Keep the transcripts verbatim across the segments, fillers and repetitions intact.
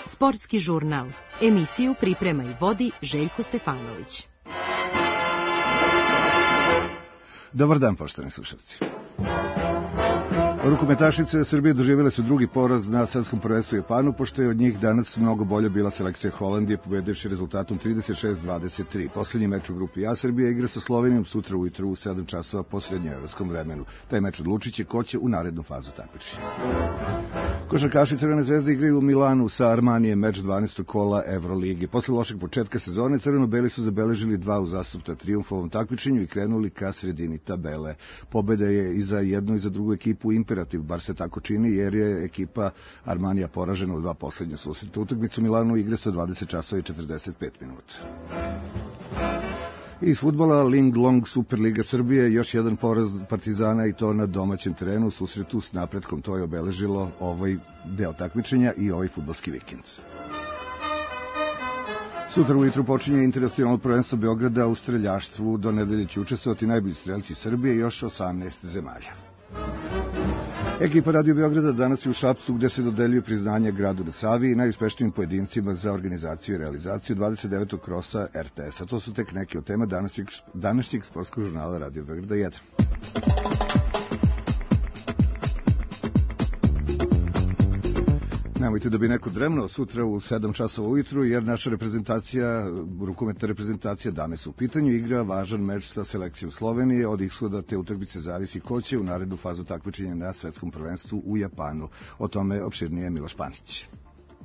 Sportski žurnal. Emisiju priprema i vodi Željko Stefanović. Dobar dan, poštovani slušalci. Rukometašice Srbije doživjele su drugi poraz na svetskom prvenstvu u Japanu, pošto je od njih danas mnogo bolje bila selekcija Holandije, pobedivši rezultatom trideset šest dvadeset tri. Poslednji meč u grupi A Srbija igra sa Slovenijom sutra ujutru u sedam časova po srednjoevropskom vremenu. Taj meč odlučiće ko će u narednu fazu takmičenja. Košarkaši Crvene zvezde igraju u Milanu sa Armanijem meč dvanaestog kola Evrolige. Posle lošeg početka sezone crveno-beli su zabeležili dva uzastopna trijumf u ovom takmičenju i krenuli ka sredini tabele. Pobeda je i za jednu i za drugu ekipu imperativ, bar se tako čini, jer je ekipa Armanija poražena u dva poslednja susreta. Utakmicu u Milanu igra sa dvadeset časova i četrdeset pet minuta. Iz fudbala Ling Long Superliga Srbije još jedan poraz Partizana i to na domaćem terenu u susretu s Napretkom. To je obeležilo ovaj deo takmičenja i ovaj fudbalski vikend. Sutra ujutru počinje internacionalno prvenstvo Beograda u streljaštvu. Do nedelje će učestvovati najbolji strelci Srbije i još osamnaest zemalja. Ekipa Radio Beograda danas je u Šapcu, gde se dodeljuje priznanje gradu na Savi i najuspešnijim pojedincima za organizaciju i realizaciju dvadeset devetog krosa er te es-a. To su tek neke od tema današnjeg, današnjeg sportskog žurnala Radio Beograda jedan. Nemojte da bi neko dremno sutra u sedam časova ujutru, jer naša reprezentacija, rukometna reprezentacija danas u pitanju, igra važan meč sa selekcijom Slovenije. Od ishoda te utakmice zavisi ko će u narednu fazu takmičenja na svetskom prvenstvu u Japanu. O tome opširnije Miloš Panić.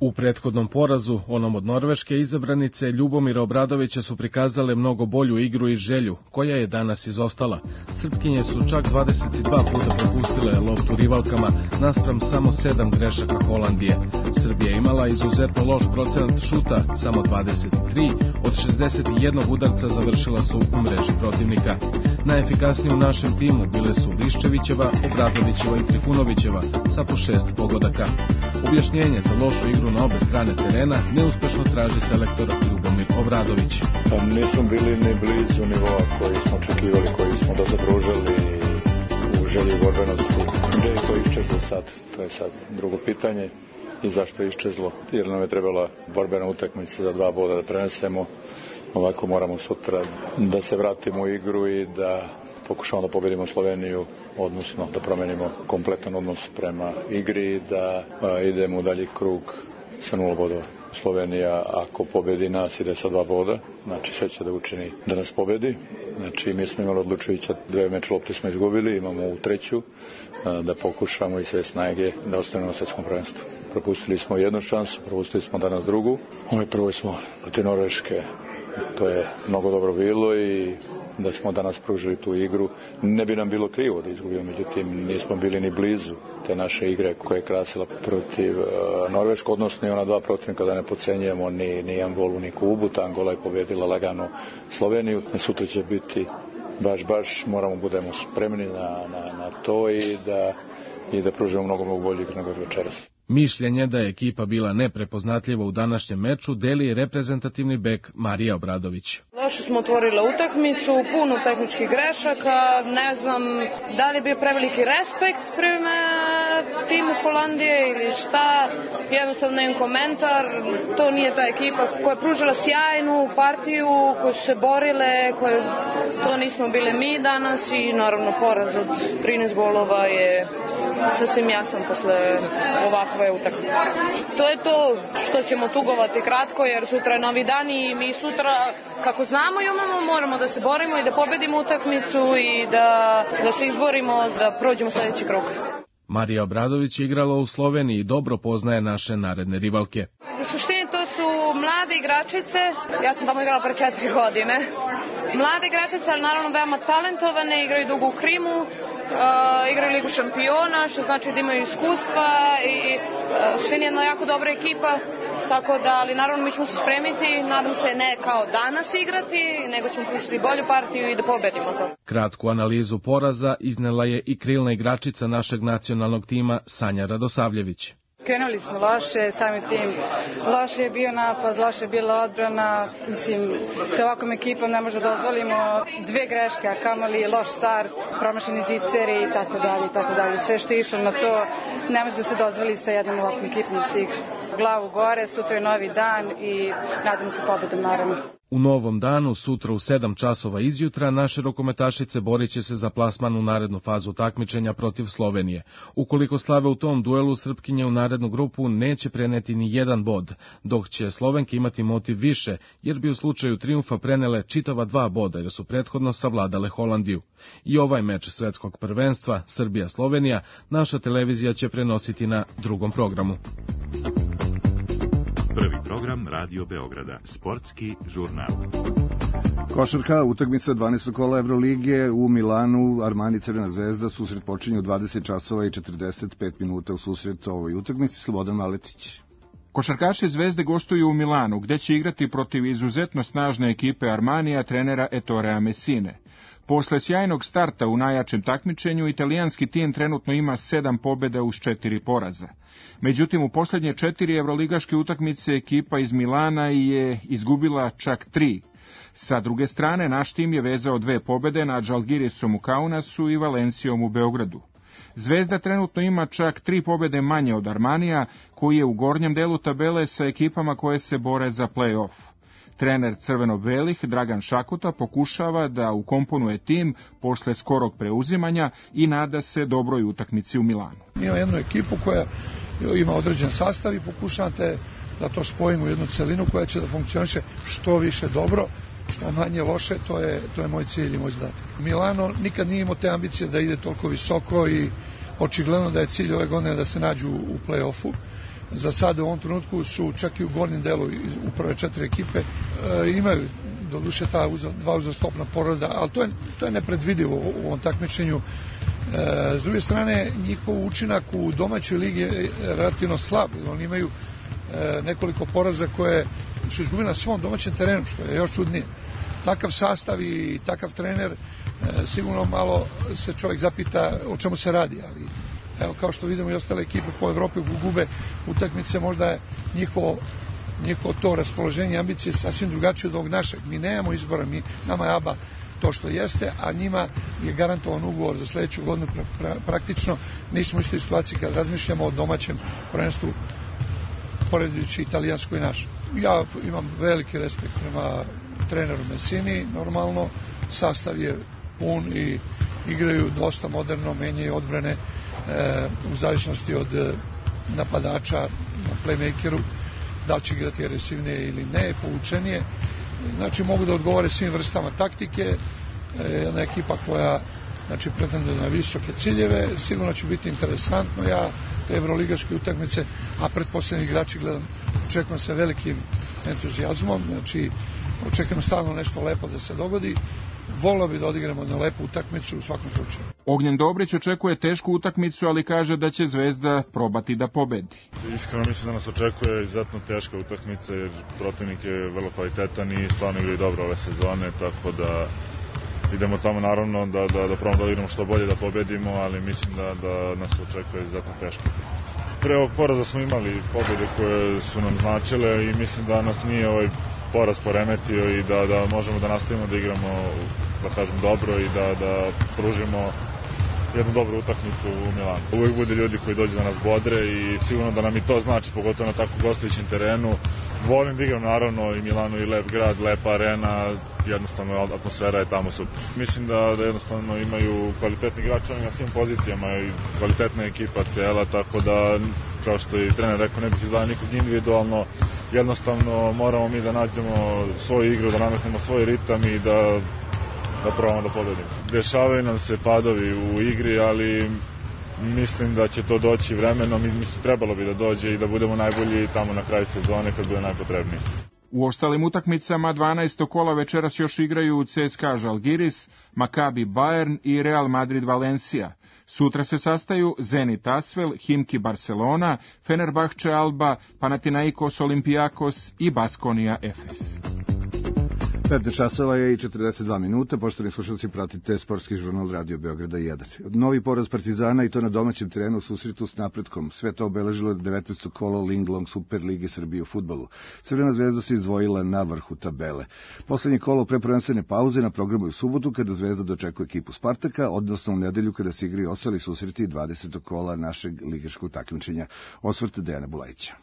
U prethodnom porazu, onom od Norveške, izabranice Ljubomira Obradovića su prikazale mnogo bolju igru i želju, koja je danas izostala. Srpkinje su čak dvadeset dva puta propustile loptu rivalkama, naspram samo sedam grešaka Holandije. Srbija imala izuzetno loš procenat šuta, samo dvadeset tri, od šezdeset jedan udarca završila su u mreži protivnika. Najefikasnije u našem timu bile su Liščevićeva, Obradovićeva i Trifunovićeva, sa po šest pogodaka. Objašnjenje za lošu igru na obe strane terena neuspešno traži selektor Ljubomir Obradović. Pa nismo bili ni blizu nivoa koji smo očekivali, koji smo da zabružili u želji borbenosti. Gde je to iščezlo sad? To je sad drugo pitanje. I zašto je iščezlo? Jer nam je trebala borbena utakmica za dva boda da prenesemo. Ovako moramo sutra da se vratimo u igru i da pokušamo da pobedimo Sloveniju, odnosno da promenimo kompletan odnos prema igri, da a, idemo u dalji krug sa nula bodova. Slovenija, ako pobedi nas, ide sa dva boda, znači sve će da učini da nas pobedi. Znači mi smo imali odlučujuća, dve meč lopte smo izgubili, imamo u treću, a, da pokušamo i sve snage da ostanemo na svetskom prvenstvu. Propustili smo jednu šansu, propustili smo danas drugu. Ovaj prvoj smo protiv Norveške. To je mnogo dobro bilo i da smo danas pružili tu igru. Ne bi nam bilo krivo da izgubimo, međutim nismo bili ni blizu te naše igre koja je krasila protiv uh, Norveške, odnosno i ona dva protivnika, da ne podcenjujemo ni, ni Angolu ni Kubu. Ta Angola je pobedila lagano Sloveniju. Sutra će biti baš, baš moramo budemo spremni na, na, na to i da, i da pružimo mnogo, mnogo bolje igre nego večeras. Mišljenje da je ekipa bila neprepoznatljiva u današnjem meču deli reprezentativni bek Marija Obradović. Loše smo otvorili utakmicu, puno tehničkih grešaka, ne znam da li je bio preveliki respekt prema timu Holandije ili šta, jednostavno nemam komentar. To nije ta ekipa koja je pružila sjajnu partiju, koje su se borile, koje, to nismo bili mi danas i naravno poraz od trinaest golova je sasvim jasan posle ovakve utakmice. To je to što ćemo tugovati kratko, jer sutra je novi dan i mi sutra, kako znamo i umemo, moramo da se borimo i da pobedimo utakmicu i da, da se izborimo da prođemo sledeći krug. Marija Obradović je igrala u Sloveniji i dobro poznaje naše naredne rivalke. U suštini to su mlade igračice, ja sam tamo igrala pre četiri godine. Mlade igračice, ali naravno veoma talentovane, igraju dugo u Krimu, uh, igraju Ligu šampiona, što znači da imaju iskustva i uh, što je jedna jako dobra ekipa, tako da, ali naravno mi ćemo se spremiti, nadam se ne kao danas igrati, nego ćemo pružiti bolju partiju i da pobedimo to. Kratku analizu poraza iznela je i krilna igračica našeg nacionalnog tima Sanja Radosavljević. krenuli smo loše, samim tim loše je bio napad, loše je bila odbrana, mislim, sa ovakvom ekipom ne možda dozvolimo dve greške, a kamoli loš start, promašeni ziceri i tako dalje, i tako dalje. Sve što je išlo na to ne može da se dozvoli sa jednom ovakvom ekipom da se igra. Glavu gore, sutra je novi dan i nadamo se pobedom, naravno. U novom danu, sutra u sedam časova izjutra, naše rukometašice borit će se za plasman u narednu fazu takmičenja protiv Slovenije. Ukoliko slave u tom duelu, Srpkinje u narednu grupu neće preneti ni jedan bod, dok će Slovenke imati motiv više, jer bi u slučaju trijumfa prenele čitava dva boda, jer su prethodno savladale Holandiju. I ovaj meč svetskog prvenstva, Srbija-Slovenija, naša televizija će prenositi na drugom programu. Prvi program Radio Beograda, sportski žurnal. Košarka, utakmica dvanaestog kola Evrolige u Milanu, Armani Crvena zvezda, susret počinje u dvadeset časova i četrdeset pet minuta u susret ovoj utakmici. Slobodan Maletić. Košarkaši Zvezde gostuju u Milanu, gde će igrati protiv izuzetno snažne ekipe Armanija trenera Ettorea Messine. Posle sjajnog starta u najjačem takmičenju, italijanski tim trenutno ima sedam pobjeda uz četiri poraza. Međutim, u posljednje četiri evroligaške utakmice ekipa iz Milana je izgubila čak tri. Sa druge strane, naš tim je vezao dve pobjede nad Žalgirisom u Kaunasu i Valencijom u Beogradu. Zvezda trenutno ima čak tri pobjede manje od Armanija, koji je u gornjem delu tabele sa ekipama koje se bore za play-off. Trener crveno-belih Dragan Šakuta pokušava da ukomponuje tim posle skorog preuzimanja i nada se dobroj utakmici u Milanu. Ima jednu ekipu koja ima određen sastav i pokušavate da to spojimo u jednu celinu koja će da funkcioniše što više dobro, što manje loše, to je, to je moj cilj i moj zadatak. Milano nikad nije imao te ambicije da ide toliko visoko i očigledno da je cilj ove godine da se nađu u play-offu. Za sada u ovom trenutku su čak i u gornjem delu u prve četiri ekipe, e, imaju doduše ta uza, dva uzastopna poroda, ali to je, to je nepredvidivo u ovom takmičenju. E, s druge strane, njihov učinak u domaćoj ligi je relativno slab, oni imaju e, nekoliko poraza koje su izgubili na svom domaćem terenu, što je još čudnije. Takav sastav i takav trener, e, sigurno malo se čovjek zapita o čemu se radi, ali evo, kao što vidimo i ostale ekipe po Evropi gube utakmice, možda je njihovo, njihovo to raspoloženje, ambicije sasvim drugačije od ovog našeg. Mi nemamo izbora, mi, nama je A B A to što jeste, a njima je garantovan ugovor za sljedeću godinu. Pra, pra, praktično nismo u istoj situaciji kad razmišljamo o domaćem prvenstvu, poredujući italijansko i naše. Ja imam veliki respekt prema treneru Messini, normalno, sastav je pun i igraju dosta moderno, menjaju odbrane, u zavisnosti od napadača na playmakeru, da li će igrati agresivnije ili ne, povučenije. Znači mogu da odgovore svim vrstama taktike, jedna ekipa koja znači pretende na visoke ciljeve, sigurno će biti interesantno. Ja te evroligaške utakmice, a pretposljednji igrači gledam, očekujem se velikim entuzijazmom, znači očekujem stalno nešto lepo da se dogodi. Volio bi da odigramo na lepu utakmicu u svakom slučaju. Ognjen Dobrić očekuje tešku utakmicu, ali kaže da će Zvezda probati da pobedi. Iskreno mislim da nas očekuje izuzetno teška utakmica, jer protivnik je vrlo kvalitetan i stvarno igraju dobro ove sezone, tako da idemo tamo naravno da, da, da probamo da odigramo što bolje da pobedimo, ali mislim da, da nas očekuje izuzetno teško. Pre ovog poraza smo imali pobjede koje su nam značile i mislim da nas nije ovaj poraz poremetio i da, da možemo da nastavimo da igramo, da kažem, dobro i da, da pružimo jednu dobru utakmicu u Milanu. Uvijek bude ljudi koji dođu da nas bodre i sigurno da nam i to znači, pogotovo na tako gostujućem terenu. Volim da igram naravno i Milano i lep grad, lepa arena, jednostavno atmosfera je tamo super. Mislim da, da jednostavno imaju kvalitetni igrači na svim pozicijama i kvalitetna ekipa cela, tako da, kao što je trener rekao, ne bih izdao nikog individualno, jednostavno moramo mi da nađemo svoju igru, da nametnemo svoj ritam i da, da probamo da pobedimo. Dešavaju nam se padovi u igri, ali mislim da će to doći vremenom i mislim trebalo bi da dođe i da budemo najbolji tamo na kraju sezone kad bude najpotrebnije. U ostalim utakmicama dvanaestog kola večeras još igraju C S K A Žalgiris, Maccabi Bayern i Real Madrid Valencija. Sutra se sastaju Zenit Asvel, Himki Barcelona, Fenerbahče Alba, Panathinaikos Olympiakos i Baskonia Efes. petnaest časova je i četrdeset dva minuta, poštovani slušalci, pratite sportski žurnal Radio Beograda jedan. Novi poraz Partizana i to na domaćem terenu u susretu s Napretkom. Sve to obeležilo devetnaesto kolo Linglong Super Lige Srbije u fudbalu. Crvena zvezda se izdvojila na vrhu tabele. Poslednje kolo pre prvenstvene pauze na programu je u subotu kada Zvezda dočekuje ekipu Spartaka, odnosno u nedelju kada se igraju ostali susreti dvadesetog kola našeg ligaškog takmičenja. Osvrt Dejana Bulajića.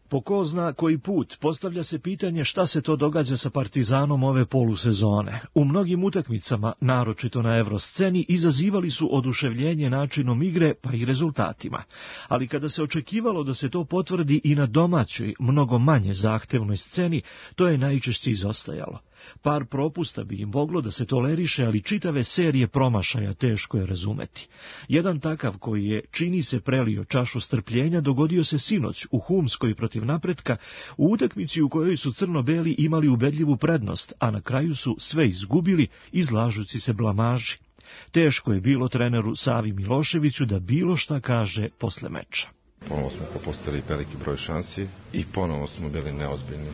Po ko zna koji put postavlja se pitanje šta se to događa sa Partizanom ove polusezone. U mnogim utakmicama, naročito na evrosceni, izazivali su oduševljenje načinom igre pa i rezultatima. Ali kada se očekivalo da se to potvrdi i na domaćoj, mnogo manje zahtevnoj sceni, to je najčešće izostajalo. Par propusta bi im moglo da se toleriše, ali čitave serije promašaja teško je razumeti. Jedan takav koji je, čini se, prelio čašu strpljenja, dogodio se sinoć u Humskoj protiv Napretka, u utakmici u kojoj su crno-beli imali ubedljivu prednost, a na kraju su sve izgubili, izlažući se blamaži. Teško je bilo treneru Savi Miloševiću da bilo šta kaže posle meča. Ponovo smo propustili veliki broj šansi i ponovo smo bili neozbiljni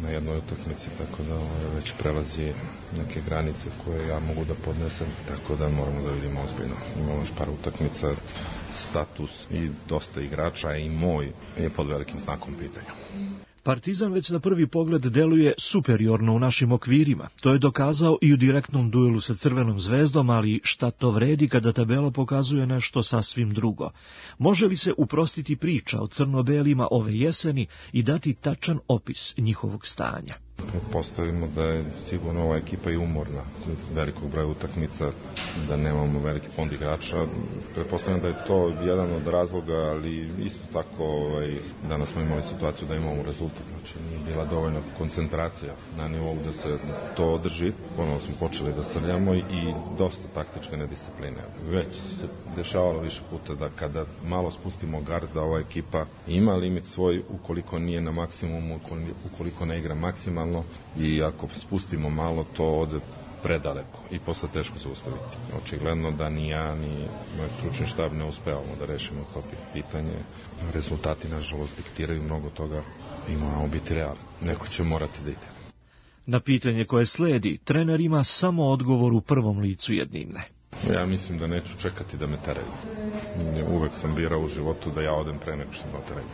na jednoj utakmici, tako da ovo već prelazi neke granice koje ja mogu da podnesem, tako da moramo da vidimo ozbiljno. Imamo još par utakmica, status i dosta igrača i moj je pod velikim znakom pitanja. Partizan već na prvi pogled deluje superiorno u našim okvirima. To je dokazao i u direktnom duelu sa Crvenom zvezdom, ali šta to vredi kada tabela pokazuje nešto sasvim drugo? Može li se uprostiti priča o crno-belima ove jeseni i dati tačan opis njihovog stanja? Pretpostavimo da je sigurno ova ekipa i umorna velikog broja utakmica, da nemamo veliki fond igrača. Pretpostavljam da je to jedan od razloga, ali isto tako ovaj, danas smo imali situaciju da imamo rezultat. Znači nije bila dovoljna koncentracija na nivou da se to održi. Ponovo smo počeli da srljamo i dosta taktičke nediscipline. Već se dešavalo više puta da kada malo spustimo gard, da ova ekipa ima limit svoj ukoliko nije na maksimumu, ukoliko ne igra maksimalno, i ako spustimo malo, to ode predaleko i posle teško zaustaviti. Očigledno da ni ja, ni moj stručni štab ne uspevamo da rešimo to pitanje. Rezultati, nažalost, diktiraju mnogo toga i moramo biti realni. Neko će morati da ide. Na pitanje koje sledi, trener ima samo odgovor u prvom licu jednine. Ja mislim da neću čekati da me teraju. Uvek sam birao u životu da ja odem pre nego što me teraju.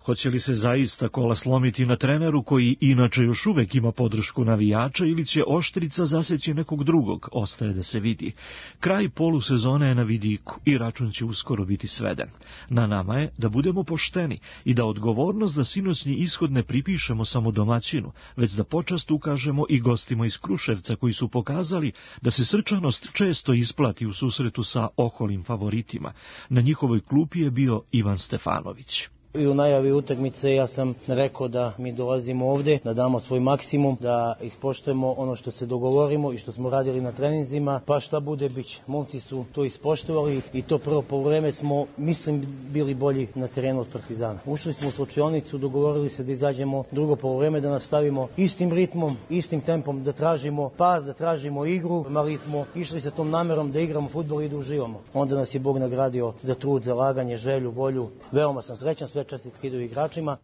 Hoće li se zaista kola slomiti na treneru koji inače još uvek ima podršku navijača ili će oštrica zaseći nekog drugog, ostaje da se vidi. Kraj polusezone je na vidiku i račun će uskoro biti sveden. Na nama je da budemo pošteni i da odgovornost za sinoćni ishod ne pripišemo samo domaćinu, već da počast ukažemo i gostima iz Kruševca koji su pokazali da se srčanost često isplati u susretu sa oholim favoritima. Na njihovoj klupi je bio Ivan Stefanović. I u najavi utakmice ja sam rekao da mi dolazimo ovde, da damo svoj maksimum, da ispoštujemo ono što se dogovorimo i što smo radili na treninzima, pa šta bude biće. Momci su to ispoštovali i to prvo poluvreme smo, mislim, bili bolji na terenu od Partizana. Ušli smo u slučionicu, dogovorili se da izađemo drugo poluvreme, da nastavimo istim ritmom, istim tempom, da tražimo pas, da tražimo igru, ali smo išli sa tom namerom da igramo fudbal i da uživamo. Onda nas je Bog nagradio za trud, za laganje, želju, volju. Veoma sam srećan, sve čestitke idu igračima.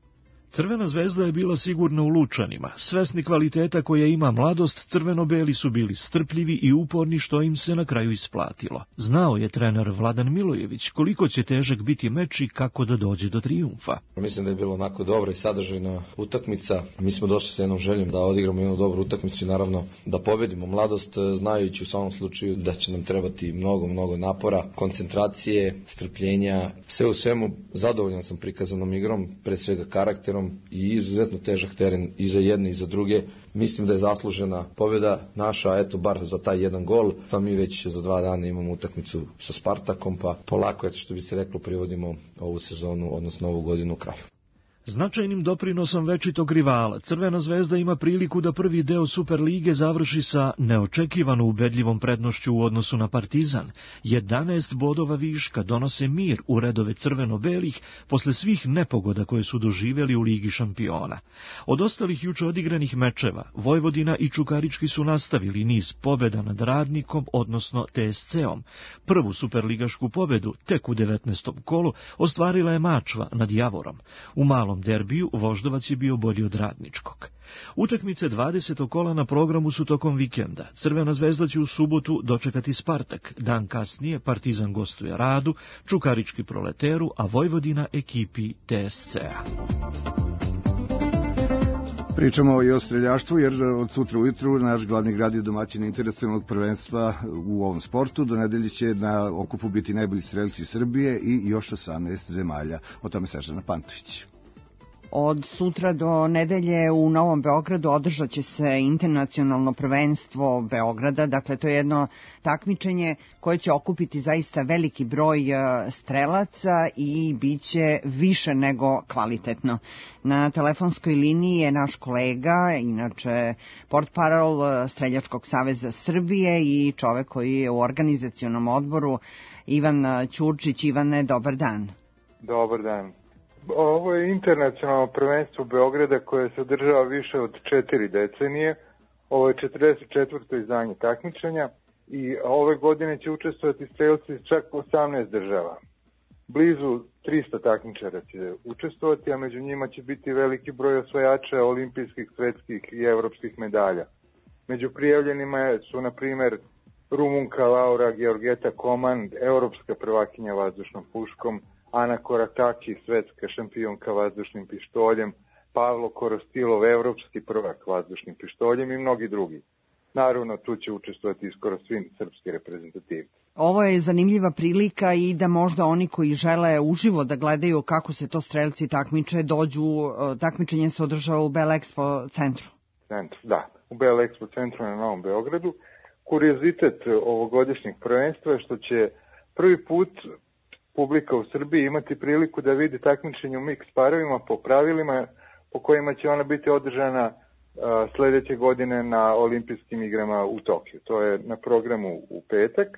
Crvena zvezda je bila sigurna u Lučanima. Svesni kvaliteta koje ima mladost, crveno-beli su bili strpljivi i uporni, što im se na kraju isplatilo. Znao je trener Vladan Milojević koliko će težak biti meč i kako da dođe do trijumfa. Mislim da je bilo onako dobra i sadržajna utakmica. Mi smo došli sa jednom željom da odigramo jednu dobru utakmicu i naravno da pobedimo mladost, znajući u samom slučaju da će nam trebati mnogo, mnogo napora, koncentracije, strpljenja. Sve u svemu zadovoljan sam prikazanom igrom, pre svega karakterom i izuzetno težak teren i za jedne i za druge. Mislim da je zaslužena pobjeda naša, eto bar za taj jedan gol. Pa mi već za dva dana imamo utakmicu sa Spartakom, pa polako, eto što bi se reklo, privodimo ovu sezonu, odnosno ovu godinu u kraju. Značajnim doprinosom večitog rivala, Crvena zvezda ima priliku da prvi deo Superlige završi sa neočekivano ubedljivom prednošću u odnosu na Partizan. jedanaest bodova viška donose mir u redove crveno-belih posle svih nepogoda koje su doživjeli u Ligi šampiona. Od ostalih juče odigranih mečeva, Vojvodina i Čukarički su nastavili niz pobjeda nad Radnikom, odnosno T S C-om. Prvu superligašku pobedu, tek u devetnaestom kolu, ostvarila je Mačva nad Javorom. U malom ovom derbiju Voždovac je bio bolji od Radničkog. Utakmice dvadesetog kola na programu su tokom vikenda. Crvena zvezda će u subotu dočekati Spartak. Dan kasnije Partizan gostuje Radu, Čukarički Proleteru, a Vojvodina ekipi T S C-a. Pričamo i o streljaštvu, jer od sutra ujutru naš glavni grad je domaćin internacionalnog prvenstva u ovom sportu. Do nedelje će na okupu biti najbolji strelci Srbije i još osamnaest zemalja. O tome Snežana Pantović. Od sutra do nedelje u Novom Beogradu održat će se internacionalno prvenstvo Beograda, dakle to je jedno takmičenje koje će okupiti zaista veliki broj strelaca i bit će više nego kvalitetno. Na telefonskoj liniji je naš kolega, inače portparol Streljačkog saveza Srbije i čovek koji je u organizacionom odboru, Ivan Ćurčić. Ivane, dobar dan. Dobar dan. Ovo je internacionalno prvenstvo Beograda koje se održava više od četiri decenije. Ovo je četrdeset četvrto izdanje takmičenja i ove godine će učestvovati strelci iz čak osamnaest država. Blizu trista takmičara će učestvovati, a među njima će biti veliki broj osvajača olimpijskih, svetskih i evropskih medalja. Među prijavljenima su, na primjer, Rumunka Laura Georgeta Koman, evropska prvakinja vazdušnom puškom, Ana Korataki, svetska šampionka vazdušnim pištoljem, Pavlo Korostilov, evropski prvak vazdušnim pištoljem i mnogi drugi. Naravno, tu će učestvovati skoro svi srpski reprezentativci. Ovo je zanimljiva prilika i da možda oni koji žele uživo da gledaju kako se to strelci takmiče, dođu, takmičenje se održava u Bell Expo centru. Centru, da, u Bell Expo centru na Novom Beogradu. Kuriozitet ovogodišnjeg prvenstva je što će prvi put publika u Srbiji imati priliku da vidi takmičenje u mix parovima po pravilima po kojima će ona biti održana uh, sledeće godine na olimpijskim igrama u Tokiju. To je na programu u petak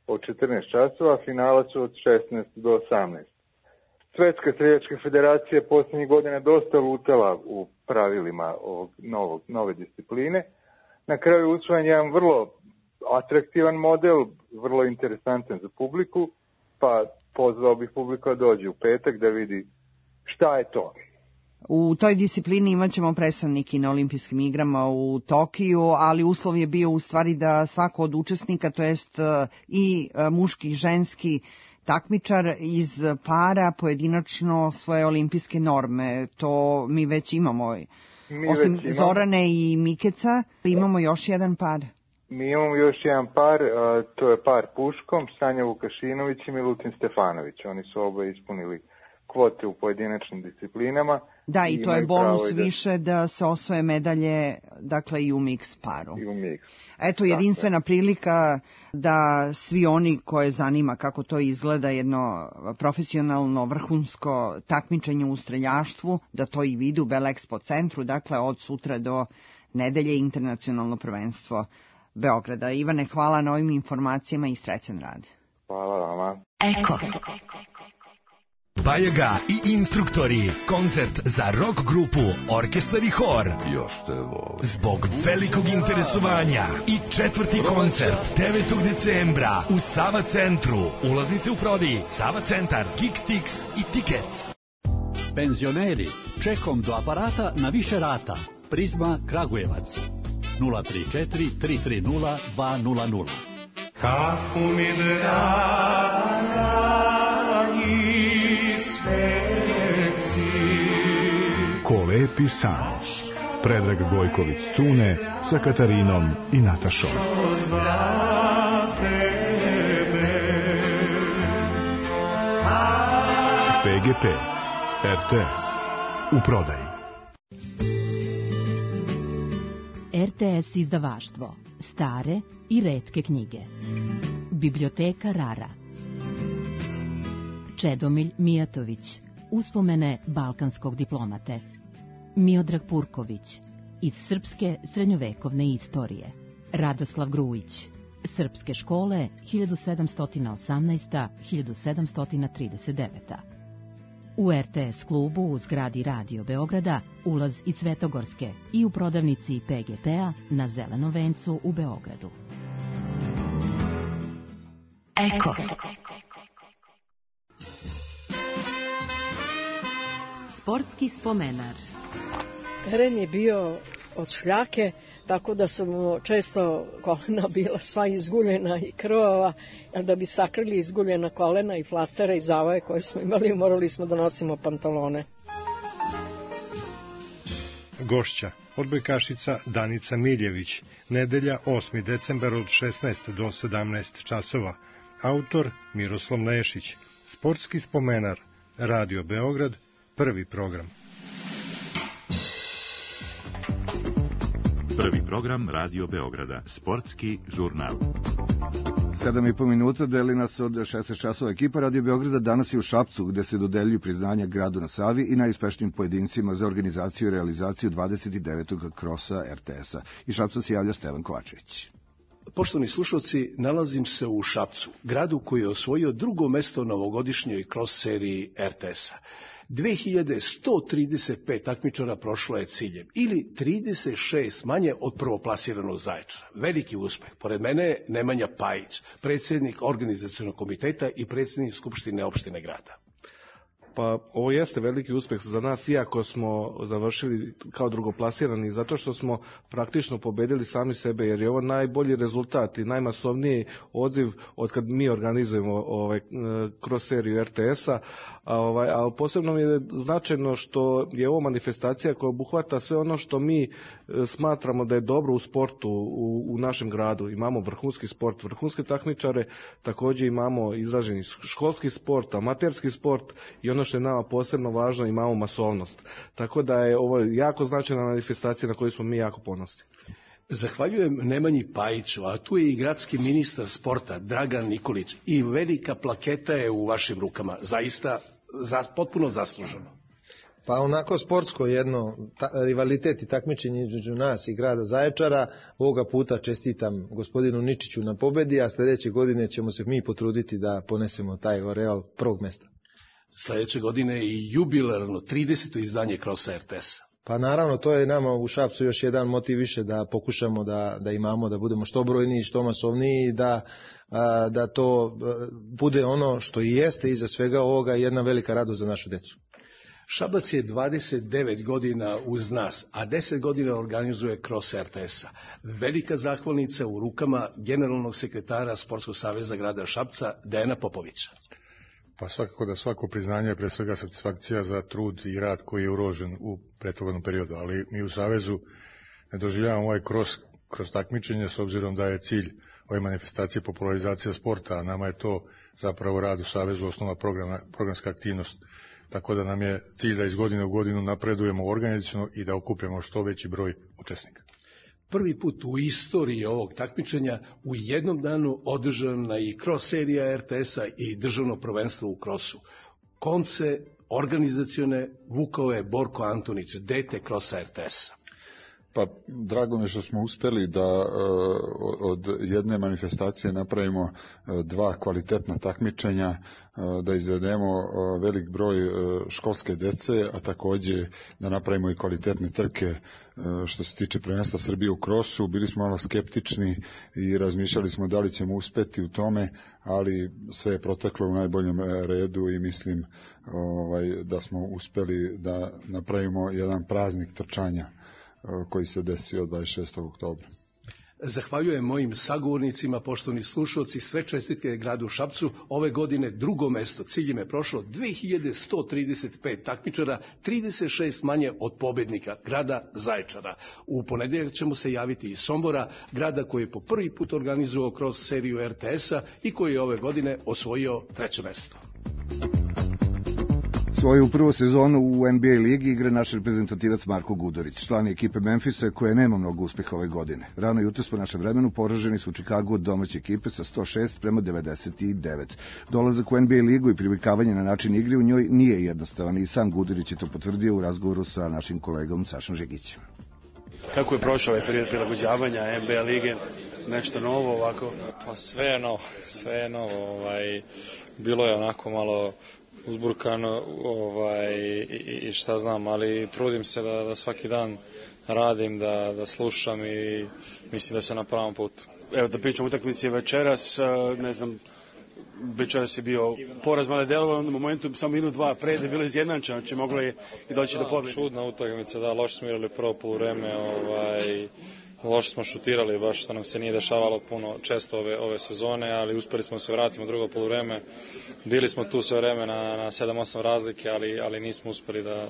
od četrnaest časova, finala su od šesnaest do osamnaest. Svetska streljačka federacija posljednjih godina dosta lutala u pravilima ovog novog, nove discipline. Na kraju usvojen jedan vrlo atraktivan model, vrlo interesantan za publiku, pa pozvao bih publiku da dođe u petak da vidi šta je to. U toj disciplini imat ćemo predstavniki na olimpijskim igrama u Tokiju, ali uslov je bio u stvari da svako od učesnika, to jest i muški i ženski takmičar iz para pojedinačno svoje olimpijske norme. To mi već imamo. Mi Osim već imamo. Zorane i Mikeca, imamo još jedan par. Mi imamo još jedan par, a, to je par puškom, Sanja Vukašinović i Milutin Stefanović. Oni su oba ispunili kvote u pojedinačnim disciplinama. Da, i, i to je bonus da... više da se osvoje medalje, dakle i u mix paru. I u mix. Eto, jedinstvena dakle. prilika da svi oni koje zanima kako to izgleda jedno profesionalno, vrhunsko takmičenje u streljaštvu, da to i vidi u Bell Expo centru, dakle od sutra do nedelje internacionalno prvenstvo Beograda. Ivane, hvala na ovim informacijama i srećan rad. Hvala vama. Eko. Bajaga i instruktori. Koncert za rock grupu, orkestar i hor. Još te volim. Zbog velikog interesovanja i četvrti koncert devetog decembra u Sava centru. Ulaznice u prodaji Sava centar, Kickstix i Tickets. Penzioneri, čekom do aparata na više rata. Prizma Kragujevac. nula tri četiri tri tri nula dva nula nula. Kafu mi dragi sveci. Ko lepi san. Predrag Gojković Cune sa Katarinom i Natašom. P G P R T S u prodaji. R T S izdavaštvo. Stare i retke knjige. Biblioteka Rara. Čedomilj Mijatović. Uspomene balkanskog diplomate. Miodrag Purković. Iz srpske srednjovekovne istorije. Radoslav Grujić. Srpske škole hiljadu sedamsto osamnaest do hiljadu sedamsto trideset devet. U R T S klubu u zgradi Radio Beograda ulaz iz Svetogorske i u prodavnici P G P-a na Zelenom vencu u Beogradu. Eko. Sportski spomenar. Teren je bio od šljake, tako da su mu često kolena bila sva izguljena i krvava, a da bi sakrili izguljena kolena i flastera i zavoje koje smo imali, morali smo da nosimo pantalone. Gošća, odbojkašica Danica Miljević, nedelja osmi decembar od šesnaest do sedamnaest časova. Autor Miroslav Nešić. Sportski spomenar, Radio Beograd, prvi program. Prvi program Radio Beograda, sportski žurnal. Sedam i po minuta deli nas od šesnaest časova. Ekipa Radio Beograda danas je u Šapcu, gde se dodeljuju priznanja gradu na Savi i najuspešnijim pojedincima za organizaciju i realizaciju dvadeset devetog krosa er te es-a. Iz Šapca se javlja Stevan Kovačević. Poštovani slušalci, nalazim se u Šapcu, gradu koji je osvojio drugo mesto na ovogodišnjoj kros seriji er te es-a. dve hiljade sto trideset pet takmičara prošlo je ciljem, ili trideset šest manje od prvoplasiranog Zaječara. Veliki uspeh. Pored mene je Nemanja Pajić, predsjednik organizacionog komiteta i predsjednik Skupštine opštine grada. Pa ovo jeste veliki uspeh za nas, iako smo završili kao drugoplasirani, zato što smo praktično pobedili sami sebe, jer je ovo najbolji rezultat i najmasovniji odziv od kad mi organizujemo ovaj, kroz seriju er te es-a, a, ovaj, a posebno mi je značajno što je ovo manifestacija koja obuhvata sve ono što mi smatramo da je dobro u sportu u, u našem gradu. Imamo vrhunski sport, vrhunske takmičare, također imamo izraženi školski sport, amaterski sport i ono što je nama posebno važno, imamo masovnost. Tako da je ovo jako značajna manifestacija na koju smo mi jako ponosni. Zahvaljujem Nemanji Pajiću, a tu je i gradski ministar sporta Dragan Nikolić i velika plaketa je u vašim rukama, zaista za, potpuno zasluženo. Pa onako sportsko jedno ta, rivalitet i takmičenje između nas i grada Zaječara. Ovoga puta čestitam gospodinu Ničiću na pobedi, a sljedeće godine ćemo se mi potruditi da ponesemo taj oreal prvog mesta. Sljedeće godine i jubilarno trideseto izdanje krosa er te es-a. Pa naravno, to je nama u Šapcu još jedan motiv više da pokušamo da, da imamo, da budemo što brojniji, što masovniji, da, a, da to bude ono što i jeste iza svega ovoga jedna velika radost za našu decu. Šabac je dvadeset devet godina uz nas, a deset godina organizuje kros er te es-a. Velika zahvalnica u rukama generalnog sekretara Sportskog saveza grada Šapca, Dejana Popovića. Pa svakako da svako priznanje je pre svega satisfakcija za trud i rad koji je uložen u prethodnom periodu, ali mi u Savezu ne doživljavamo ovaj kroz, kroz takmičenje s obzirom da je cilj ove manifestacije popularizacija sporta, a nama je to zapravo rad u Savezu osnova programa, programska aktivnost. Tako da nam je cilj da iz godine u godinu napredujemo organizaciono i da okupljamo što veći broj učesnika. Prvi put u istoriji ovog takmičenja u jednom danu održana i kros serija er te es-a i državno prvenstvo u krosu. Konce organizacione vukao je Borko Antonić, dete krosa er te es-a. Pa drago mi je što smo uspjeli da od jedne manifestacije napravimo dva kvalitetna takmičenja, da izvedemo velik broj školske dece, a također da napravimo i kvalitetne trke što se tiče prvenstva Srbije u krosu. Bili smo malo skeptični i razmišljali smo da li ćemo uspjeti u tome, ali sve je proteklo u najboljem redu i mislim ovaj, da smo uspjeli da napravimo jedan praznik trčanja koji se desio dvadeset šestog oktobra. Zahvaljujem mojim sagovornicima, poštovani slušalci, sve čestitke gradu Šapcu. Ove godine drugo mesto, ciljem je prošlo dve hiljade sto trideset pet takmičara, trideset šest manje od pobednika grada Zaječara. U ponedjeljak ćemo se javiti iz Sombora, grada koji je po prvi put organizovao kroz seriju er te es-a i koji je ove godine osvojio treće mesto. Svoju prvu sezonu u en be a ligi igra naš reprezentativac Marko Gudurić, član ekipe Memfisa koje nema mnogo uspeha ove godine. Rano jutros po našem vremenu poraženi su u Čikagu od domaće ekipe sa sto šest prema devedeset devet. Dolazak u en be a ligu i privikavanje na način igre u njoj nije jednostavan i sam Gudurić je to potvrdio u razgovoru sa našim kolegom Sašom Žegićem. Kako je prošao ovaj period prilagođavanja en be a lige? Nešto novo ovako? Pa sve je novo, sve je novo. Ovaj, bilo je onako malo uzburkano ovaj, i, i šta znam, ali trudim se da, da svaki dan radim, da, da slušam i mislim da sam na pravom putu. Evo da pričam utakmici večeras, ne znam, večeras je bio poraz, mada je delovalo na momentu samo minut dva pred je bilo izjednačeno, znači moglo je i doći do pobjede. Čudna utakmica, da, loše smo igrali prvo poluvreme, ovaj, loše smo šutirali, baš što nam se nije dešavalo puno često ove, ove sezone, ali uspeli smo se vratiti u drugo poluvreme. Bili smo tu sve vreme na, na sedam osam razlike, ali, ali nismo uspeli da,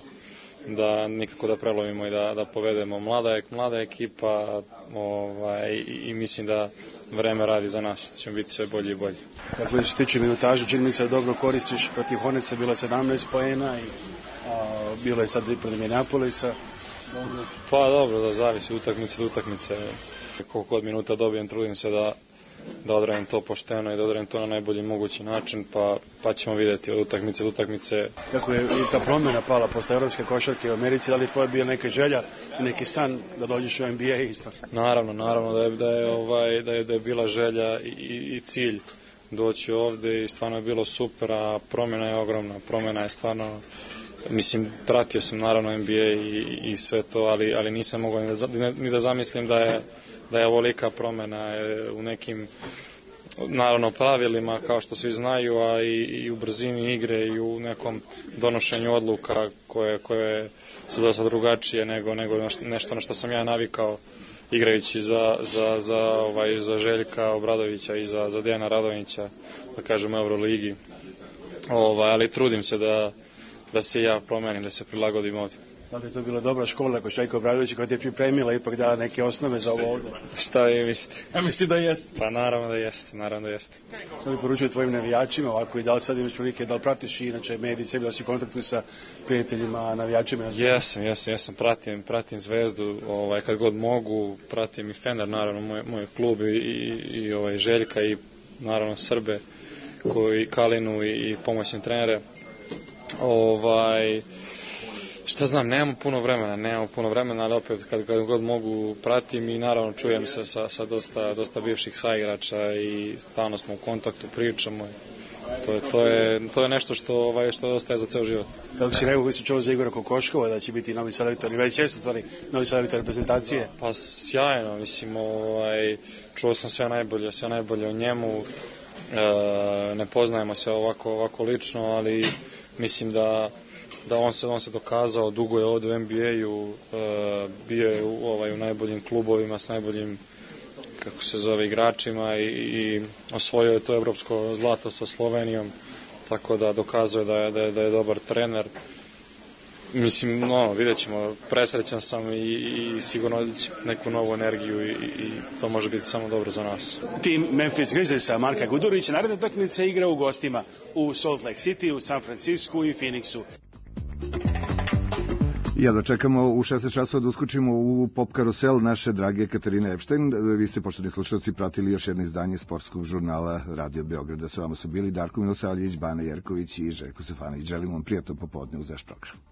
da nikako da prelovimo i da, da povedemo. Mlada je mlada ekipa ovaj, i, i mislim da vreme radi za nas, ćemo biti sve bolji i bolji. Kako se tiče minutaže, čini mi se da dobro koristiš, protiv Hornetsa bilo je sedamnaest poena i a, bilo je sad i protiv Minneapolisa. Pa dobro, da zavisi utakmice do utakmice. Koliko god minuta dobijem, trudim se da, da odradim to pošteno i da odradim to na najbolji mogući način, pa, pa ćemo vidjeti od utakmice do utakmice. Kako je ta promjena pala posle evropske košarke u Americi, da li tvoja bio neka želja, neki san da dođeš u N B A isto? Naravno, naravno da je, da je, ovaj, da je, da je bila želja i, i cilj doći ovde i stvarno je bilo super, a promjena je ogromna, promjena je stvarno. Mislim, pratio sam naravno N B A i, i sve to, ali, ali nisam mogao ni da, ni da zamislim da je, da je ovolika promjena u nekim, naravno, pravilima, kao što svi znaju, a i, i u brzini igre i u nekom donošenju odluka koje, koje su dosta drugačije nego, nego nešto na što sam ja navikao igrajući za, za, za, ovaj, za Željka Obradovića i za, za Dejana Radonjića, da kažem, u Euroligi. Ovaj, ali trudim se da da se ja promenim, da se prilagodim ovdje. Da li je to bila dobra škola kod Željka Obradovića koja ti je pripremila ipak dala neke osnove za ovo ovdje? Šta vi mislite? Ja mislim da jeste. Pa naravno da jeste, naravno da jeste. Što bi poručio tvojim navijačima ovako i da li sad imaš prilike, da li pratiš i inače mediji sebi, da si u kontaktu sa prijateljima, navijačima? Jesam, jesam, jesam, pratim, pratim Zvezdu, ovaj, kad god mogu, pratim i Fener, naravno, moj, moj klub i, i, i ovaj, Željka i naravno Srbe, koji Kalinu i, i pomoćne trenere. Ovaj, šta znam, nemamo puno vremena, nemamo puno vremena, ali opet kad, kad god mogu pratim i naravno čujem se sa, sa dosta, dosta bivših saigrača i stalno smo u kontaktu, pričamo. To je, to je, to je nešto što, ovaj, što ostaje za ceo život. Kako si rekao, koji si čuo za Igora Kokoškova, da će biti novi selektor i već često stvari novi selektor reprezentacije? Pa sjajno, mislim, ovaj, čuo sam sve najbolje, sve najbolje o njemu, e, ne poznajemo se ovako, ovako lično, ali mislim da, da on, se, on se dokazao, dugo je ovdje u N B A-u, e, bio je u, ovaj, u najboljim klubovima s najboljim, kako se zove, igračima i, i osvojio je to evropsko zlato sa Slovenijom, tako da dokazuje da je, da je, da je dobar trener. Mislim, no, vidjet ćemo, presrećan sam i, i sigurno neku novu energiju i, i to može biti samo dobro za nas. Tim Memphis Grizzliesa Marka Gudurića naredna utakmica igra u gostima u Salt Lake City, u San Francisku i Phoenixu. Ja da čekamo u šesnaest časova da uskočimo u pop karusel naše drage Katarine Epštajn. Vi ste, poštovni slušalci, pratili još jedno izdanje sportskog žurnala Radio Beograda. Sa vama su bili Darko Milosavljević, Bana Jerković i Željko Stefanović. Želim vam prijatno popodne uz naš program.